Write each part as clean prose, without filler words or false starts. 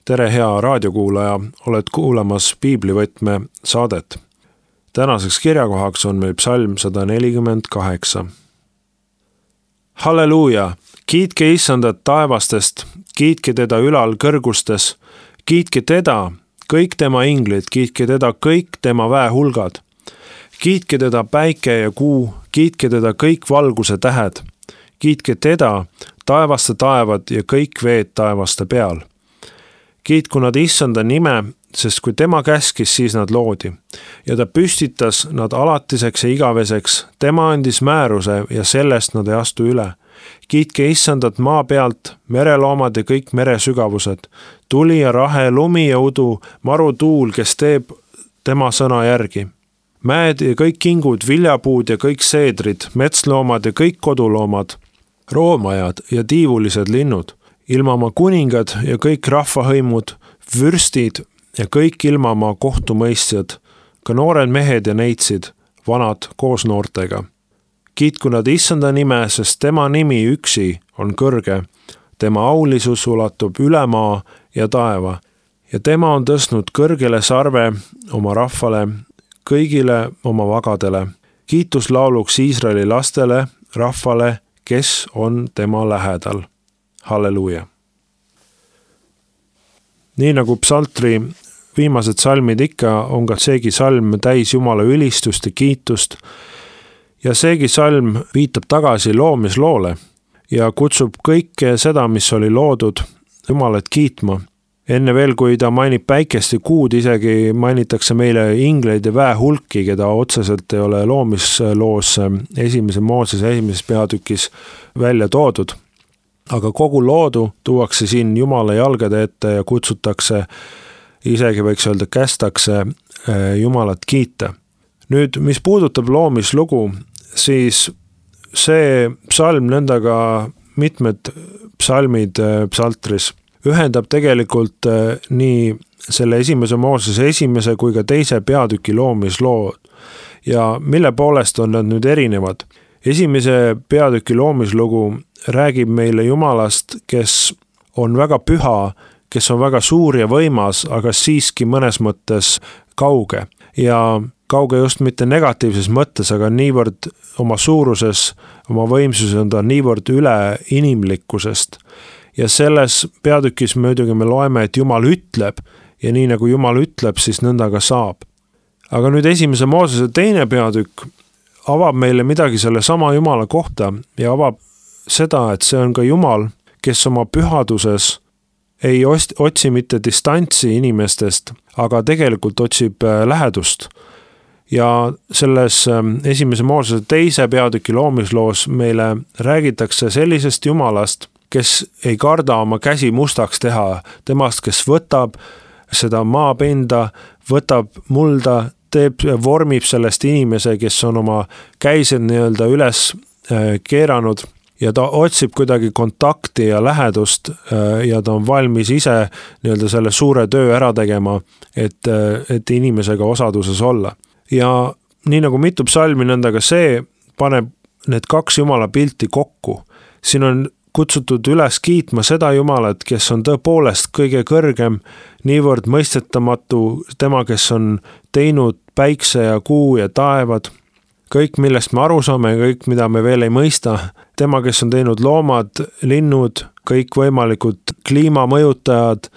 Tere hea raadiokuulaja, oled kuulamas Piiblivõtme saadet. Tänaseks kirjakohaks on meil psalm 148. Halleluuja! Kiitke Issandat taevastest, kiitke teda ülal kõrgustes, kiitke teda, kõik tema inglid, kiitke teda kõik tema väehulgad. Kiitke teda päike ja kuu, kiitke teda kõik valguse tähed. Kiitke teda, taevaste taevad ja kõik veed taevaste peal. Kiitku nad Issanda nime, sest kui tema käskis, siis nad loodi. Ja ta püstitas nad alatiseks ja igaveseks, tema andis määruse ja sellest nad ei astu üle. Kiitke Issandat maa pealt, mereloomad ja kõik meresügavused, tuli ja rahe, lumi ja udu, marutuul, kes teeb tema sõna järgi. Mäed ja kõik kingud, viljapuud ja kõik seedrid, metsloomad ja kõik koduloomad, roomajad ja tiivulised linnud, ilmamaa kuningad ja kõik rahvahõimud, vürstid ja kõik ilmamaa kohtumõistjad, ka noored mehed ja neitsid, vanad koos noortega. Kiitku nad Issanda nime, sest tema nimi üksi on kõrge, tema aulisus ulatub üle maa ja taeva ja tema on tõstnud kõrgele sarve oma rahvale, kõigile oma vagadele. Kiitus lauluks Iisraeli lastele, rahvale, kes on tema lähedal. Halleluuja! Nii nagu psaltri viimased salmid ikka, on ka seegi salm täis Jumala ülistust ja kiitust. Ja seegi salm viitab tagasi loomisloole ja kutsub kõike seda, mis oli loodud, Jumalat kiitma. Enne veel, kui ta mainib päikest ja kuud, isegi mainitakse meile ingleid ja väehulki, keda otseselt ei ole loomisloos esimese Moosese esimeses peatükis välja toodud. Aga kogu loodu tuuakse siin Jumala jalgade ette ja kutsutakse, isegi võiks öelda, kästakse Jumalat kiita. Nüüd, mis puudutab loomislugu, siis see psalm, nõndaga mitmed psalmid psaltris, ühendab tegelikult nii selle esimese Moosese esimese kui ka teise peatüki loomislood. Ja mille poolest on nad nüüd erinevad? Esimese peatüki loomislugu räägib meile Jumalast, kes on väga püha, kes on väga suur ja võimas, aga siiski mõnes mõttes kauge. Ja kauge just mitte negatiivses mõttes, aga niivõrd oma suuruses, oma võimsuses on ta niivõrd üle inimlikkusest. Ja selles peatükis muidugi me loeme, et Jumal ütleb ja nii nagu Jumal ütleb, siis nõnda ka saab. Aga nüüd esimese Moosese teine peatükk avab meile midagi selle sama Jumala kohta ja avab seda, et see on ka Jumal, kes oma pühaduses ei otsi mitte distantsi inimestest, aga tegelikult otsib lähedust. Ja selles esimese Moosese teise peatüki loomisloos meile räägitakse sellisest Jumalast, kes ei karda oma käsi mustaks teha, temast, kes võtab seda maapinda, võtab mulda, vormib sellest inimese, kes on oma käised nii-öelda üles keeranud ja ta otsib kuidagi kontakti ja lähedust ja ta on valmis ise nii-öelda selle suure töö ära tegema, et inimesega osaduses olla. Ja nii nagu mitu psalmi nõndaga see paneb need kaks Jumala pilti kokku. Siin on kutsutud üles kiitma seda Jumalat, kes on tõepoolest kõige kõrgem, niivõrd mõistetamatu, tema, kes on teinud päikse ja kuu ja taevad, kõik, millest me aru saame, kõik, mida me veel ei mõista, tema, kes on teinud loomad, linnud, kõik võimalikud kliimamõjutajad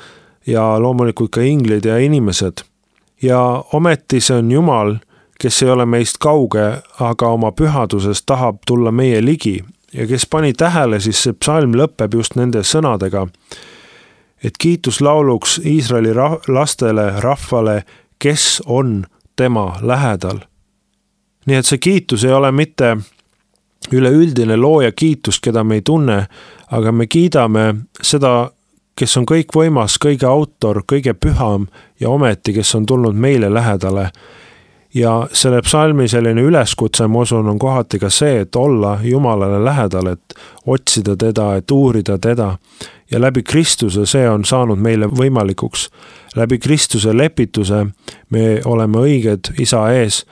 ja loomulikult ka inglid ja inimesed. Ja ometi see on Jumal, kes ei ole meist kauge, aga oma pühaduses tahab tulla meie ligi. Ja kes pani tähele, siis see psalm lõpeb just nende sõnadega, et kiitus lauluks Iisraeli lastele, rahvale, kes on tema lähedal. Nii et see kiitus ei ole mitte üleüldine looja kiitus, keda me ei tunne, aga me kiidame seda, kes on kõik võimas, kõige autor, kõige püham ja ometi, kes on tulnud meile lähedale. Ja selle psalmi selline üleskutse, ma usun, on kohati ka see, et olla Jumalale lähedal, et otsida teda, et uurida teda. Ja läbi Kristuse see on saanud meile võimalikuks. Läbi Kristuse lepituse me oleme õiged Isa ees.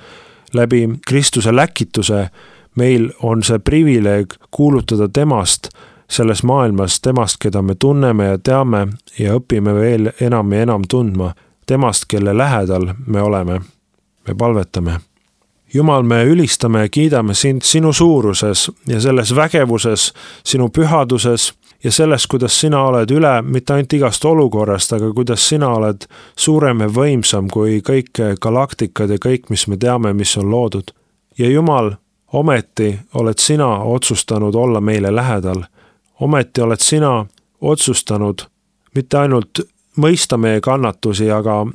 Läbi Kristuse läkituse meil on see privileeg kuulutada temast selles maailmas temast, keda me tunneme ja teame ja õpime veel enam ja enam tundma, temast, kelle lähedal me oleme. Me palvetame. Jumal, me ülistame ja kiidame sind sinu suuruses ja selles vägevuses, sinu pühaduses ja selles, kuidas sina oled üle mitte ainult igast olukorrast, aga kuidas sina oled suurem ja võimsam kui kõik galaktikad ja kõik, mis me teame, mis on loodud. Ja Jumal, ometi oled sina otsustanud olla meile lähedal. Ometi oled sina otsustanud mitte ainult mõista meie kannatusi, aga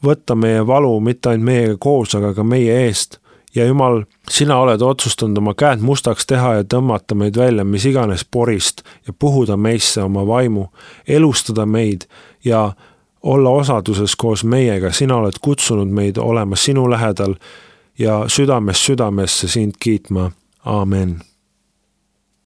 võtta meie valu mitte ainult meiega koos, aga ka meie eest. Ja Jumal, sina oled otsustanud oma käed mustaks teha ja tõmmata meid välja mis iganes porist ja puhuda meisse oma vaimu, elustada meid ja olla osaduses koos meiega. Sina oled kutsunud meid olema sinu lähedal ja südamest südamesse sind kiitma. Aamen.